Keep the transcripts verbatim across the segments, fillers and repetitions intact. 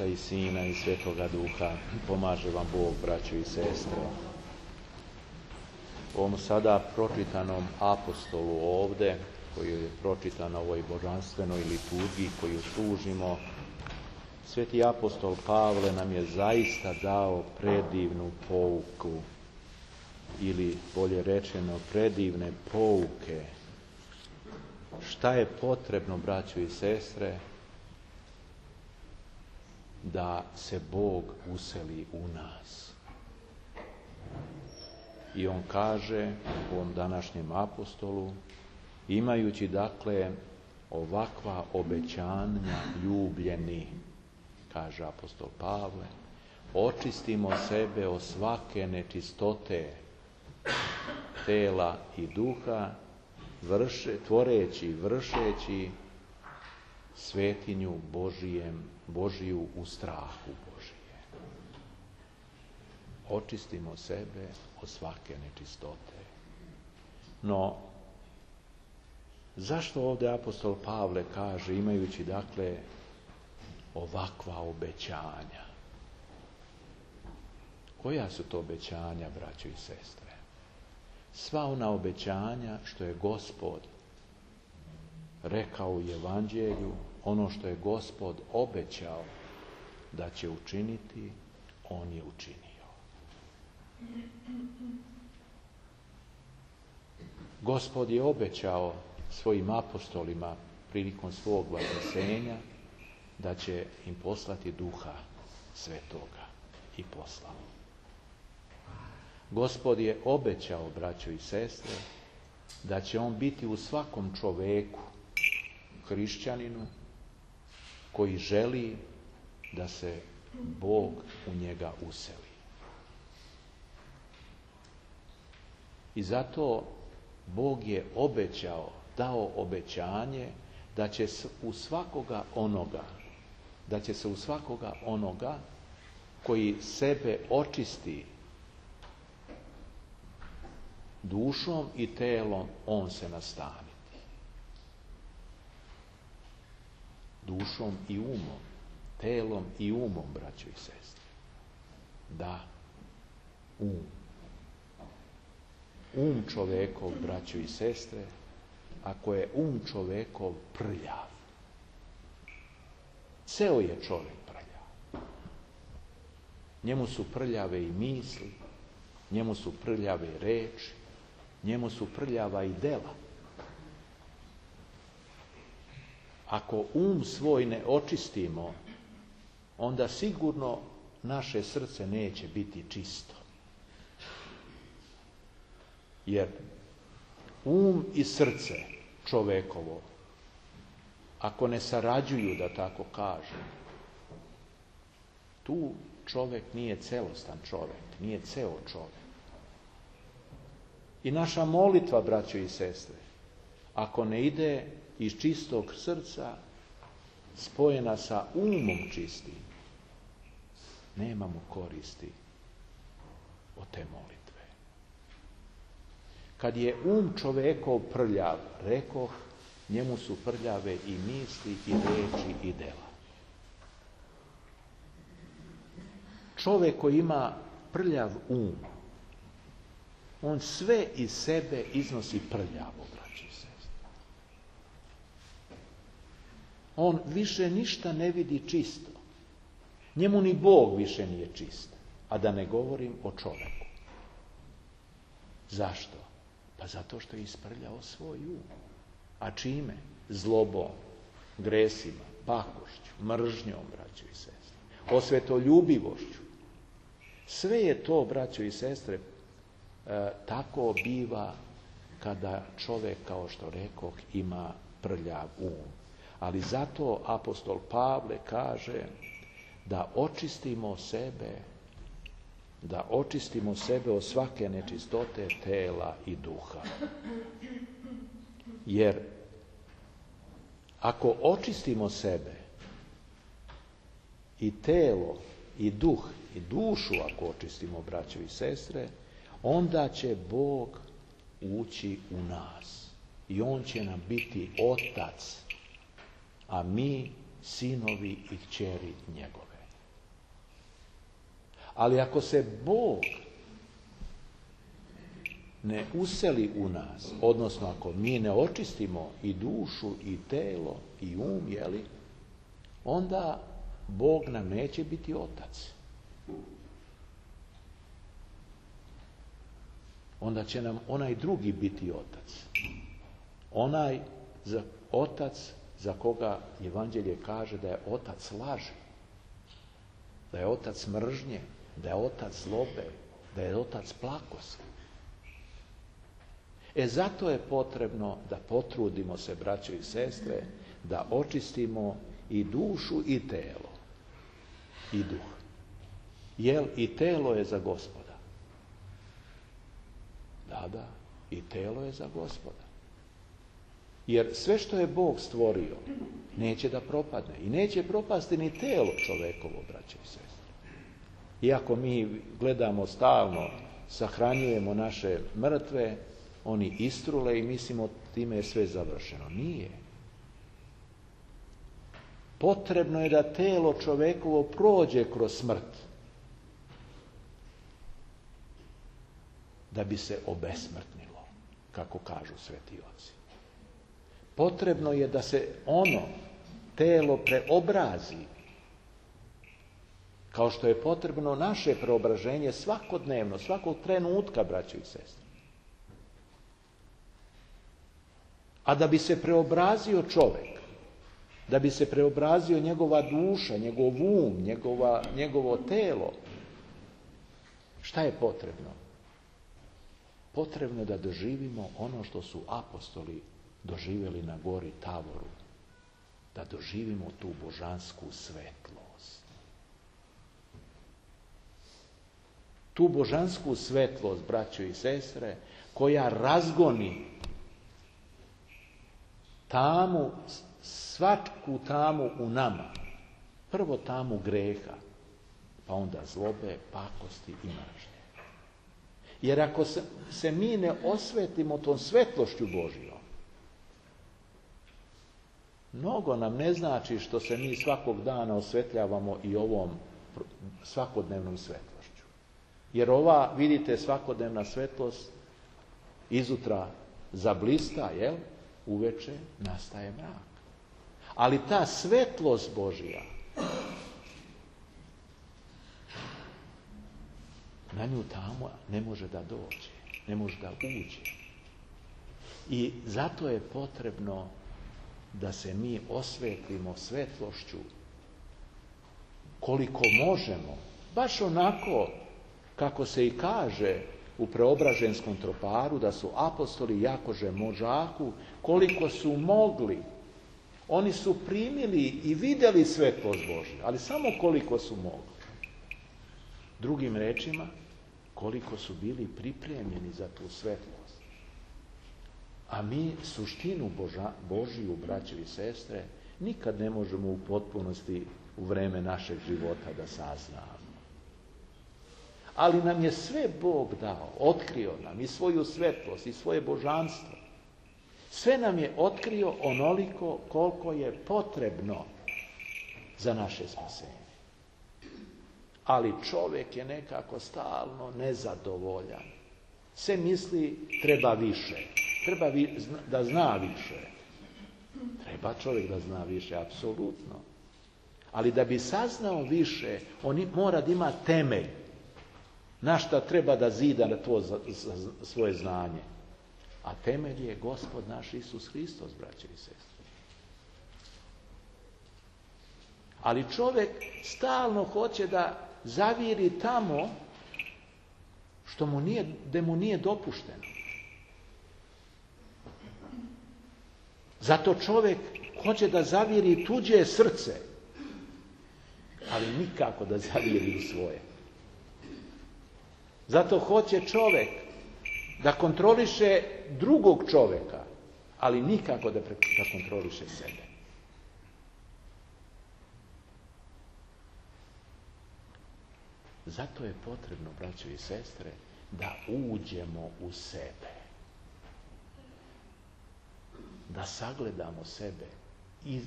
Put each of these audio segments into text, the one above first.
i Sina i Svetoga Duha. Pomaže vam Bog, braćo i sestre. U ovom sada pročitanom apostolu ovde, koji je pročitan na ovoj božanstvenoj liturgiji koju služimo, Sveti apostol Pavle nam je zaista dao predivnu pouku, ili bolje rečeno predivne pouke. Šta je potrebno, braćo i sestre, da se Bog useli u nas? I on kaže u ovom današnjem apostolu, imajući dakle ovakva obećanja, ljubljeni, kaže apostol Pavle, očistimo sebe od svake nečistote tela i duha, vrše, tvoreći, vršeći svetinju Božijem, Božiju u strahu Božije. Očistimo sebe od svake nečistote. No, zašto ovdje apostol Pavle kaže, imajući dakle ovakva obećanja? Koja su to obećanja, braćo i sestre? Sva ona obećanja što je Gospod rekao u Evanđelju, ono što je Gospod obećao da će učiniti, on je učinio. Gospod je obećao svojim apostolima prilikom svog vaskrsenja da će im poslati Duha Svetoga i poslao. Gospod je obećao, braćo i sestre, da će on biti u svakom čoveku, hrišćaninu, koji želi da se Bog u njega useli. I zato Bog je obećao, dao obećanje da će se u svakoga onoga, da će se u svakoga onoga koji sebe očisti dušom i telom, on se nastaniti. Dušom i umom, telom i umom, braćo i sestre. Da, um. Um čovekov, braćo i sestre, ako je um čovekov prljav, ceo je čovjek prljav. Njemu su prljave i misli, njemu su prljave i reči, njemu su prljava i dela. Ako um svoj ne očistimo, onda sigurno naše srce neće biti čisto. Jer um i srce čovekovo, ako ne sarađuju, da tako kažem, tu čovjek nije celostan čovjek, nije ceo čovjek. I naša molitva, braćo i sestre, ako ne ide iz čistog srca, spojena sa umom čistim, nemamo koristi od te molitve. Kad je um čovekov prljav, rekoh, njemu su prljave i misli, i reči, i dela. Čovjek koji ima prljav um, on sve iz sebe iznosi prljavo, braći i sestre. On više ništa ne vidi čisto. Njemu ni Bog više nije čist. A da ne govorim o čovjeku. Zašto? Pa zato što je isprljao svoj um. A čime? Zlobom, gresima, pakošću, mržnjom, braćo i sestre. Osvetoljubivošću. Sve je to, braćo i sestre, E, tako biva kada čovjek, kao što rekoh, ima prljav um. Ali zato apostol Pavle kaže da očistimo sebe, da očistimo sebe od svake nečistote tela i duha. Jer ako očistimo sebe i telo i duh i dušu, ako očistimo, braćo i sestre, onda će Bog ući u nas i on će nam biti otac, a mi sinovi i kćeri njegove. Ali ako se Bog ne useli u nas, odnosno ako mi ne očistimo i dušu, i telo, i um, jeli, onda Bog nam neće biti otac. Onda će nam onaj drugi biti otac. Onaj za, otac za koga Evanđelje kaže da je otac laži, da je otac mržnje, da je otac zlobe, da je otac plakosti. E zato je potrebno da potrudimo se, braćo i sestre, da očistimo i dušu i telo i duh. Jer i telo je za Gospoda. Da, da, i telo je za Gospoda. Jer sve što je Bog stvorio neće da propadne. I neće propasti ni telo čovekovo, braćo i sestre. Iako mi gledamo stalno, sahranjujemo naše mrtve, oni istrule i mislimo time je sve završeno. Nije. Potrebno je da telo čovekovo prođe kroz smrt da bi se obesmrtnilo, kako kažu sveti oci. Potrebno je da se ono telo preobrazi, kao što je potrebno naše preobraženje svakodnevno, svakog trenutka, braćo i sestre. A da bi se preobrazio čovjek, da bi se preobrazio njegova duša, njegov um, njegova, njegovo telo, šta je potrebno? Potrebno je da doživimo ono što su apostoli doživjeli na gori Tavoru, da doživimo tu božansku svetlost. Tu božansku svetlost, braćo i sestre, koja razgoni tamu, svaku tamu u nama. Prvo tamu greha, pa onda zlobe, pakosti i mržnje. Jer ako se, se mi ne osvetimo tom svetlošću Božjom, mnogo nam ne znači što se mi svakog dana osvetljavamo i ovom svakodnevnom svetlošću. Jer ova, vidite, svakodnevna svetlost izutra zablista, jel? Uveče nastaje mrak. Ali ta svetlost Božja, na nju tamo ne može da dođe, ne može da uđe. I zato je potrebno da se mi osvetlimo svetlošću koliko možemo, baš onako kako se i kaže u Preobraženskom troparu, da su apostoli jakože možaku, koliko su mogli. Oni su primili i vidjeli svetlost Božju, ali samo koliko su mogli. Drugim rečima, koliko su bili pripremljeni za tu svetlost. A mi suštinu Boža, Božiju, braće i sestre, nikad ne možemo u potpunosti u vreme našeg života da saznamo. Ali nam je sve Bog dao, otkrio nam i svoju svetlost i svoje božanstvo. Sve nam je otkrio onoliko koliko je potrebno za naše spasenje. Ali čovjek je nekako stalno nezadovoljan. Sve misli treba više, treba vi, da zna više. Treba čovjek da zna više, apsolutno. Ali da bi saznao više, on mora da ima temelj. Na šta treba da zida na to za, za svoje znanje. A temelj je Gospod naš Isus Hristos, braće i sestre. Ali čovjek stalno hoće da zaviri tamo što mu nije, gde mu nije dopušteno. Zato čovjek hoće da zaviri tuđe srce, ali nikako da zaviri u svoje. Zato hoće čovjek da kontroliše drugog čovjeka, ali nikako da, pre, da kontroliše sebe. Zato je potrebno, braćo i sestre, da uđemo u sebe. Da sagledamo sebe iz,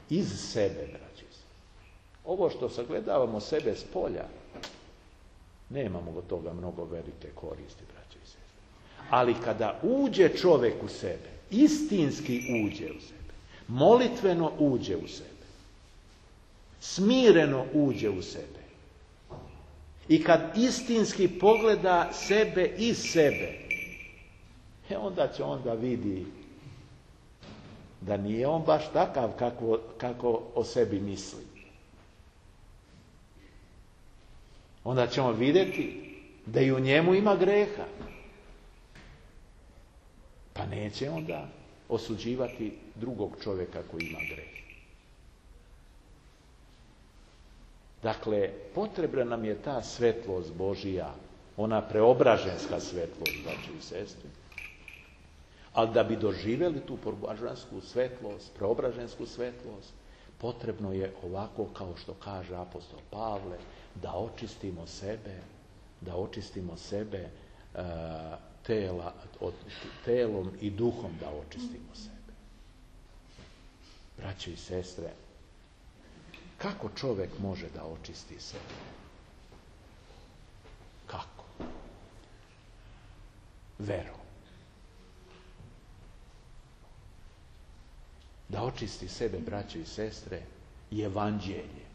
iz sebe, braćo i sestre. Ovo što sagledavamo sebe s polja, Nemamo od toga mnogo velike koristi, braće i sestre. Ali kada uđe čovjek u sebe, istinski uđe u sebe, molitveno uđe u sebe, smireno uđe u sebe, i kad istinski pogleda sebe iz sebe, e onda će onda vidi da nije on baš takav kako, kako o sebi misli. Onda ćemo vidjeti da i u njemu ima greha. Pa neće onda osuđivati drugog čovjeka koji ima greh. Dakle, potrebna nam je ta svetlost Božija, ona preobraženska svetlost, braće i sestre. Ali da bi doživjeli tu preobražensku svetlost, preobražensku svetlost, potrebno je ovako, kao što kaže apostol Pavle, da očistimo sebe, da očistimo sebe uh, tela, od, telom i duhom da očistimo sebe. Braće i sestre, kako čovjek može da očisti sebe? Kako? Verom. Da očisti sebe, braće i sestre, je evanđelje.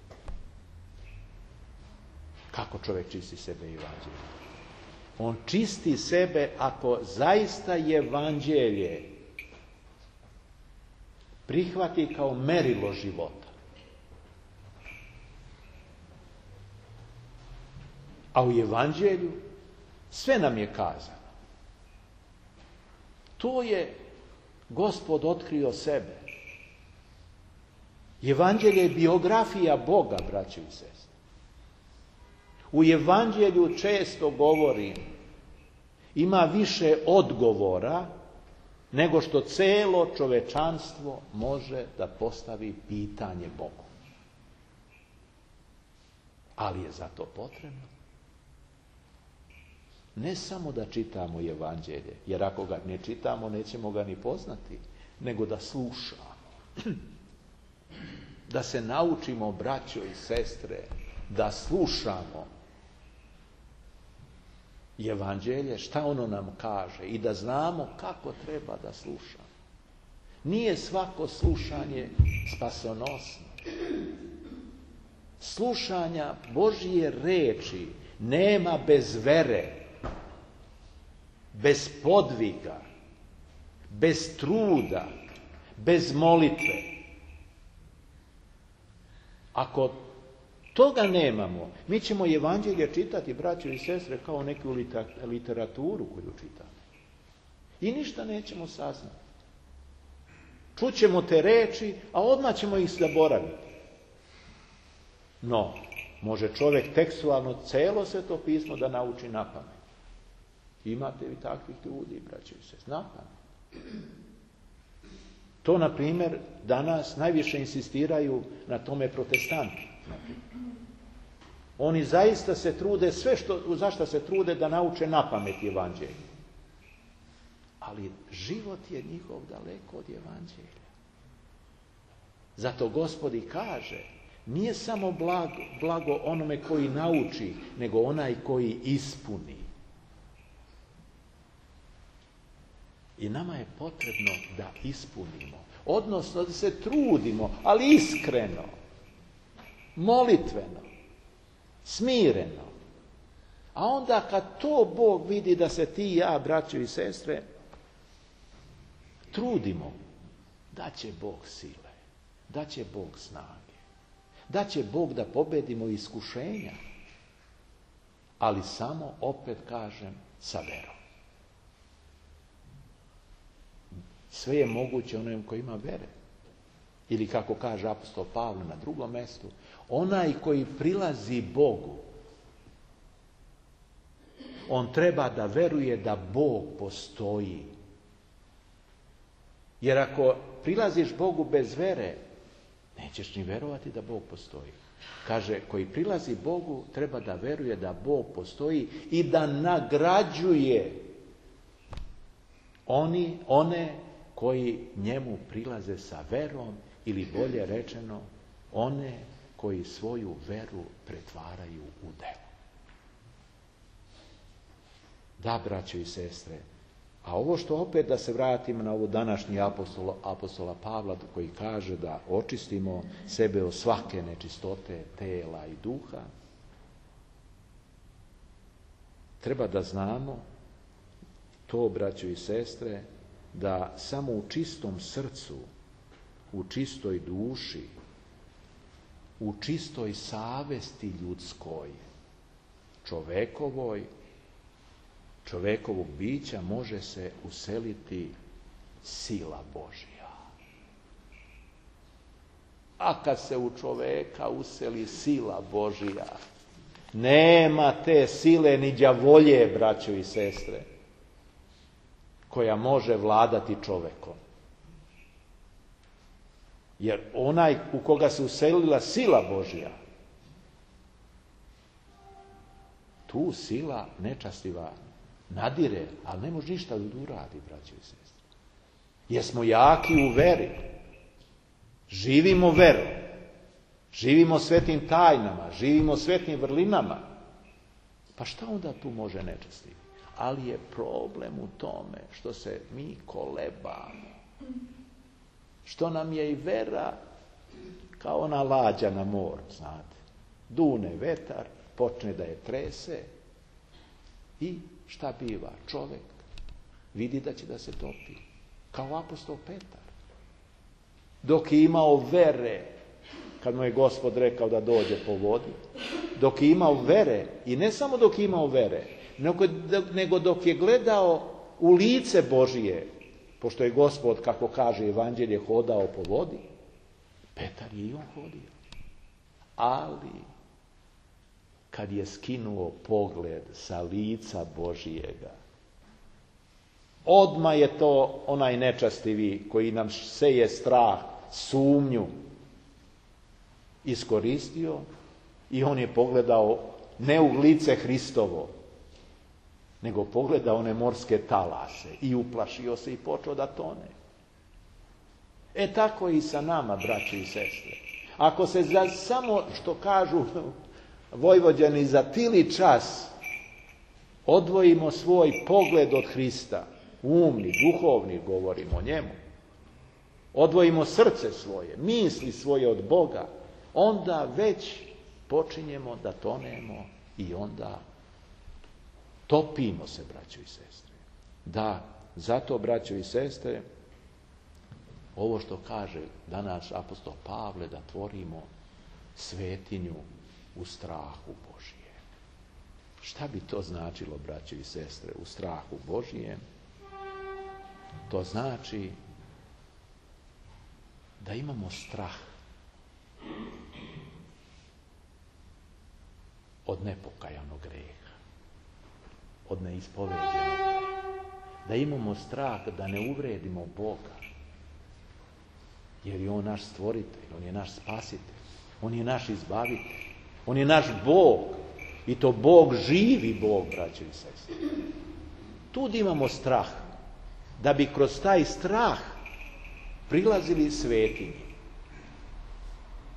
Kako čovjek čisti sebe i evanđelje? On čisti sebe ako zaista evanđelje prihvati kao merilo života. A u evanđelju sve nam je kazano. To je Gospod otkrio sebe. Evanđelje je biografija Boga, braće i sestre. U evanđelju često govorim, ima više odgovora nego što celo čovečanstvo može da postavi pitanje Bogu. Ali je za to potrebno ne samo da čitamo evanđelje, jer ako ga ne čitamo, nećemo ga ni poznati, nego da slušamo. Da se naučimo, braćo i sestre, da slušamo evanđelje, šta ono nam kaže, i da znamo kako treba da slušamo. Nije svako slušanje spasonosno. Slušanja Božje reči nema bez vere, bez podviga, bez truda, bez molitve. Ako toga nemamo, mi ćemo evanđelje čitati, braćo i sestre, kao neku literaturu koju čitamo. I ništa nećemo saznati. Čućemo te reči, a odmah ćemo ih zaboraviti. No, može čovjek tekstualno celo Sveto pismo da nauči na pamet. Imate vi takvih ljudi, braćo i sestre, na pamet. To, na primjer, danas najviše insistiraju na tome protestanti. Oni zaista se trude, sve što, za što se trude, da nauče na pamet evanđelje. Ali život je njihov daleko od evanđelja. Zato Gospod i kaže, nije samo blago, blago onome koji nauči, nego onaj koji ispuni. I nama je potrebno da ispunimo, odnosno da se trudimo, ali iskreno, molitveno, smireno. A onda kad to Bog vidi da se ti i ja, braćo i sestre, trudimo, da će Bog sile, da će Bog snage, da će Bog da pobedimo iskušenja, ali samo, opet kažem, sa verom. Sve je moguće onom koji ima vere. Ili kako kaže apostol Pavle na drugom mjestu, onaj koji prilazi Bogu, on treba da veruje da Bog postoji. Jer ako prilaziš Bogu bez vere, nećeš ni verovati da Bog postoji. Kaže, koji prilazi Bogu treba da veruje da Bog postoji i da nagrađuje oni, one koji njemu prilaze sa verom, ili bolje rečeno, one koji svoju veru pretvaraju u delo. Da, braćo i sestre. A ovo što opet da se vratimo na ovo današnji apostola, apostola Pavla koji kaže da očistimo sebe od svake nečistote tela i duha, treba da znamo to, braćo i sestre, da samo u čistom srcu, u čistoj duši, u čistoj savesti ljudskoj, čovekovoj, čovekovog bića može se useliti sila Božja. A kad se u čoveka useli sila Božja, nema te sile ni đavolje, braćo i sestre, koja može vladati čovekom. Jer onaj u koga se uselila sila Božja, tu sila nečastiva nadire, ali ne može ništa da uradi, braćo i sestre. Jer smo jaki u veri. Živimo veru. Živimo svetim tajnama, živimo svetim vrlinama. Pa šta onda tu može nečastiv? Ali je problem u tome što se mi kolebamo. Što nam je i vera kao ona lađa na moru, znate. Dune vetar, počne da je trese i šta biva? Čovek vidi da će da se topi. Kao apostol Petar. Dok je imao vere, kad mu je Gospod rekao da dođe po vodi, dok je imao vere, i ne samo dok je imao vere, nego, nego dok je gledao u lice Božije, pošto je Gospod, kako kaže Evanđelje, hodao po vodi, Petar je i on hodio. Ali, kad je skinuo pogled sa lica Božijega, odmah je to onaj nečastivi koji nam seje strah, sumnju, iskoristio i on je pogledao ne u lice Hristovo, nego pogledao one morske talase i uplašio se i počeo da tone. E tako i sa nama, braći i sestre. Ako se za samo, što kažu Vojvođani, za tili čas odvojimo svoj pogled od Hrista, umni, duhovni, govorimo o njemu, odvojimo srce svoje, misli svoje od Boga, onda već počinjemo da tonemo i onda topimo se, braćo i sestre. Da, zato, braćo i sestre, ovo što kaže danas apostol Pavle, da tvorimo svetinju u strahu Božijem. Šta bi to značilo, braćo i sestre, u strahu Božijem? To znači da imamo strah od nepokajanog greha, od neispoveđenog greha. Da imamo strah da ne uvredimo Boga, jer je On naš stvoritelj, On je naš spasitelj, On je naš izbavitelj, On je naš Bog, i to Bog, živi Bog, braćo i sestre. Tu imamo strah, da bi kroz taj strah prilazili svetinji.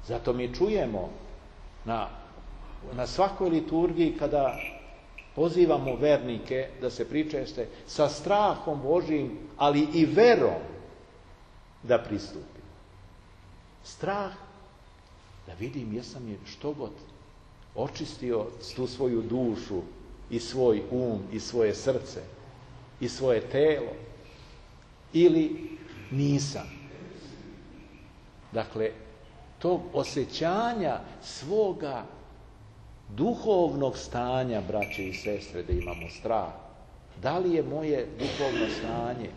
Zato mi čujemo na, na svakoj liturgiji kada pozivamo vernike da se pričeste sa strahom Božijim, ali i verom da pristupi. Strah da vidim jesam je što god očistio tu svoju dušu i svoj um i svoje srce i svoje telo ili nisam. Dakle, tog osjećanja svoga duhovnog stanja, braće i sestre, da imamo strah. Da li je moje duhovno stanje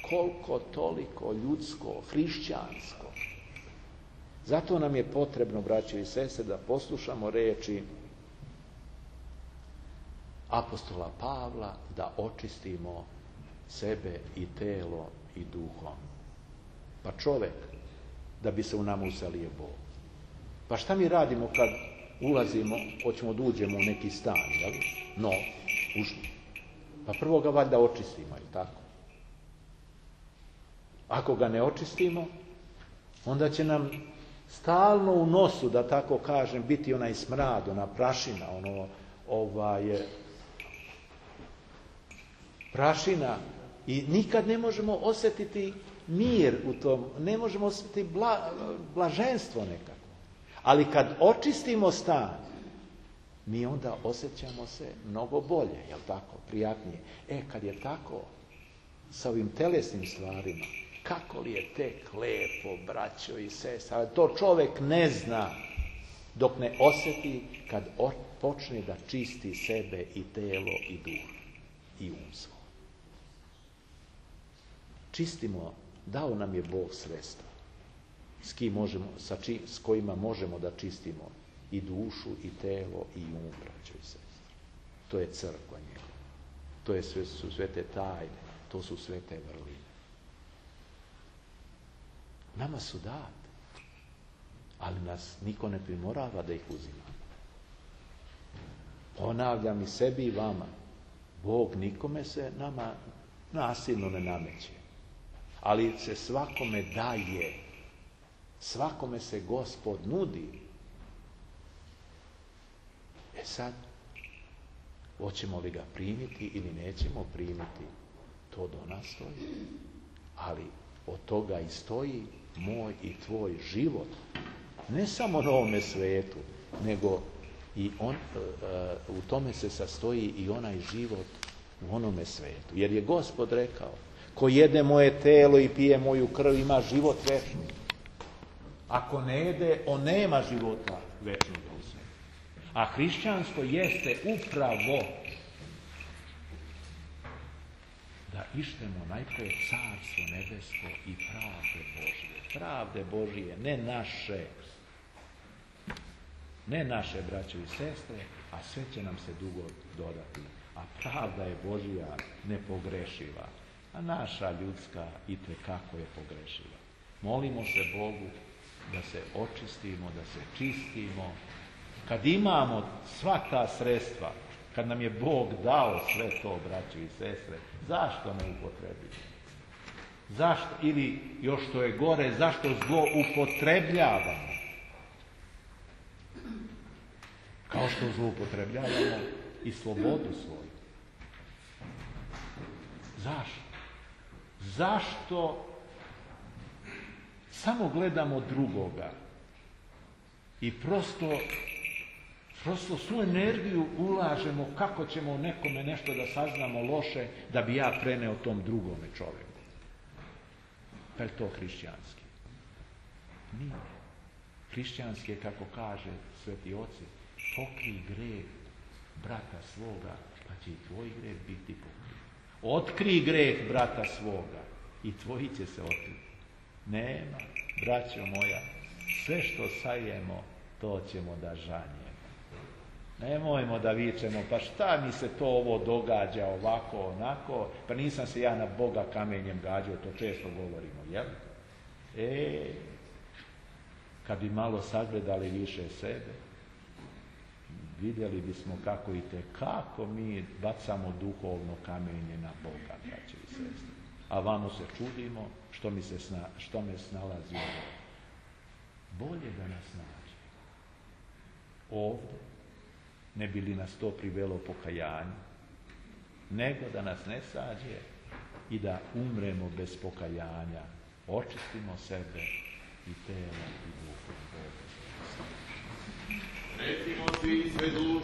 koliko toliko ljudsko, hrišćansko? Zato nam je potrebno, braće i sestre, da poslušamo reči apostola Pavla, da očistimo sebe i telo i duhom. Pa čovek, da bi se u nama uselio Bog. Pa šta mi radimo kad ulazimo, hoćemo da uđemo u neki stan, jel? No, ušli. Pa prvo ga valjda očistimo, jel tako? Ako ga ne očistimo, onda će nam stalno u nosu, da tako kažem, biti onaj smrad, ona prašina, ono, ovaj, prašina i nikad ne možemo osjetiti mir u tom, ne možemo osjetiti bla, blaženstvo nekako. Ali kad očistimo stan, mi onda osjećamo se mnogo bolje, jel tako, prijatnije. E, kad je tako, sa ovim telesnim stvarima, kako li je tek lepo, braćo i sestre, ali to čovjek ne zna dok ne osjeti kad počne da čisti sebe i telo i duh i um svoj. Čistimo, dao nam je Bog sredstva s, kim možemo, sa či, s kojima možemo da čistimo i dušu i telo i um, braćo i sestre. To je crkva njegova. To je sve, su svete tajne, to su svete vrline. Nama su date, ali nas niko ne primorava da ih uzimamo. Ponavljam i sebi i vama, Bog nikome se nama nasilno ne nameće, ali se svakome daje, svakome se Gospod nudi. E sad, hoćemo li ga primiti ili nećemo primiti, to do nas stoji. Ali od toga i stoji moj i tvoj život. Ne samo na ovome svijetu, nego i on, u tome se sastoji i onaj život u onome svijetu. Jer je Gospod rekao, ko jede moje telo i pije moju krv ima život večni. Ako ne jede, on nema života večnog u sebi. A hrišćanstvo jeste upravo da ištemo najprije carstvo nebesko i pravde Božije. Pravde Božije, ne naše. Ne naše, braćo i sestre, a sve će nam se dugo dodati. A pravda je Božija nepogrešiva, a naša ljudska itekako je pogrešiva. Molimo se Bogu da se očistimo, da se čistimo. Kad imamo sva ta sredstva, kad nam je Bog dao sve to, braćo i sestre, zašto ne upotrebiti? Zašto, ili još što je gore, zašto zlo upotrebljavamo? Kao što zloupotrebljavamo i slobodu svoju. Zašto? Zašto samo gledamo drugoga i prosto, prosto svu energiju ulažemo kako ćemo nekome nešto da saznamo loše da bi ja preneo tom drugome čovjeku. Pa je to hrišćanski? Nije. Hrišćanski je, kako kaže sveti oci, pokrij greh brata svoga, pa će i tvoj greh biti pokrit. Otkrij greh brata svoga i tvoji će se otkriti. Nema, braćo moja, sve što sajemo, to ćemo da žanjemo. Nemojmo da vičemo, pa šta mi se to ovo događa ovako, onako, pa nisam se ja na Boga kamenjem gađao, to često govorimo, jel? E, kad bi malo sagledali više sebe, vidjeli bismo kako i te, kako mi bacamo duhovno kamenje na Boga, braće i sestre. A vamo se čudimo što, mi se sna, što me snalazi ovo. Bolje da nas nađe ovdje, ne bi li nas to privelo pokajanju, nego da nas ne sađe i da umremo bez pokajanja. Očistimo sebe i telo i duhu. Recimo svi sve duše.